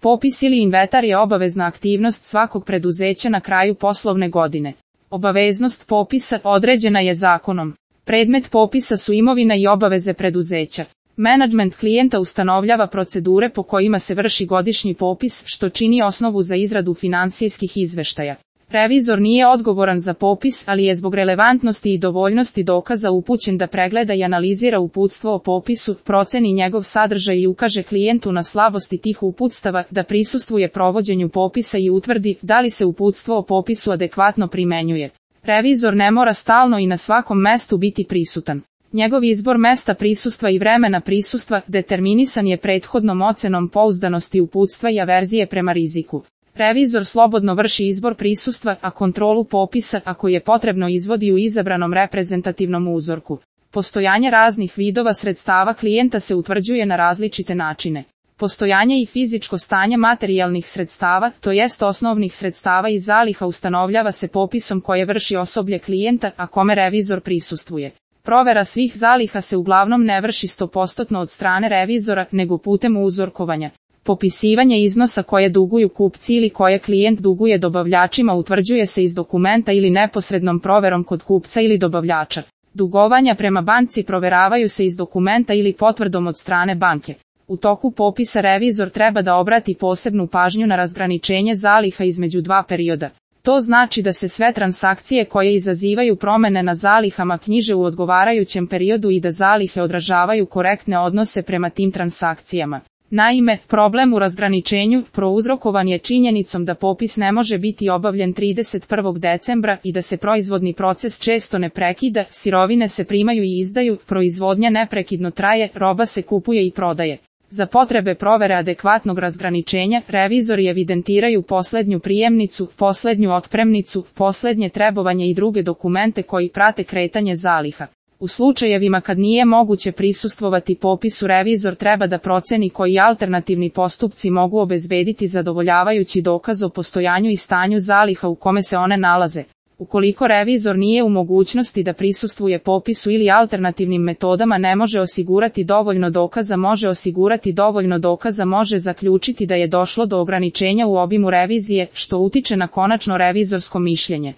Popis ili inventar je obavezna aktivnost svakog preduzeća na kraju poslovne godine. Obaveznost popisa određena je zakonom. Predmet popisa su imovina i obaveze preduzeća. Menadžment klijenta ustanovljava procedure po kojima se vrši godišnji popis, što čini osnovu za izradu finansijskih izveštaja. Revizor nije odgovoran za popis, ali je zbog relevantnosti i dovoljnosti dokaza upućen da pregleda i analizira uputstvo o popisu, proceni njegov sadržaj i ukaže klijentu na slabosti tih uputstava, da prisustvuje provođenju popisa i utvrdi da li se uputstvo o popisu adekvatno primenjuje. Revizor ne mora stalno i na svakom mestu biti prisutan. Njegov izbor mesta prisustva i vremena prisustva determinisan je prethodnom ocenom pouzdanosti uputstva i averzije prema riziku. Revizor slobodno vrši izbor prisustva, a kontrolu popisa, ako je potrebno, izvodi u izabranom reprezentativnom uzorku. Postojanje raznih vidova sredstava klijenta se utvrđuje na različite načine. Postojanje i fizičko stanje materijalnih sredstava, to jest osnovnih sredstava i zaliha, ustanovljava se popisom koje vrši osoblje klijenta, a kome revizor prisustvuje. Provera svih zaliha se uglavnom ne vrši 100% od strane revizora, nego putem uzorkovanja. Popisivanje iznosa koje duguju kupci ili koje klijent duguje dobavljačima utvrđuje se iz dokumenta ili neposrednom proverom kod kupca ili dobavljača. Dugovanja prema banci proveravaju se iz dokumenta ili potvrdom od strane banke. U toku popisa revizor treba da obrati posebnu pažnju na razgraničenje zaliha između dva perioda. To znači da se sve transakcije koje izazivaju promene na zalihama knjiže u odgovarajućem periodu i da zalihe odražavaju korektne odnose prema tim transakcijama. Naime, problem u razgraničenju prouzrokovan je činjenicom da popis ne može biti obavljen 31. decembra i da se proizvodni proces često ne prekida, sirovine se primaju i izdaju, proizvodnja neprekidno traje, roba se kupuje i prodaje. Za potrebe provere adekvatnog razgraničenja, revizori evidentiraju poslednju prijemnicu, poslednju otpremnicu, poslednje trebovanje i druge dokumente koji prate kretanje zaliha. U slučajevima kad nije moguće prisustvovati popisu, revizor treba da proceni koji alternativni postupci mogu obezbediti zadovoljavajući dokaz o postojanju i stanju zaliha u kome se one nalaze. Ukoliko revizor nije u mogućnosti da prisustvuje popisu ili alternativnim metodama ne može osigurati dovoljno dokaza, može zaključiti da je došlo do ograničenja u obimu revizije, što utiče na konačno revizorsko mišljenje.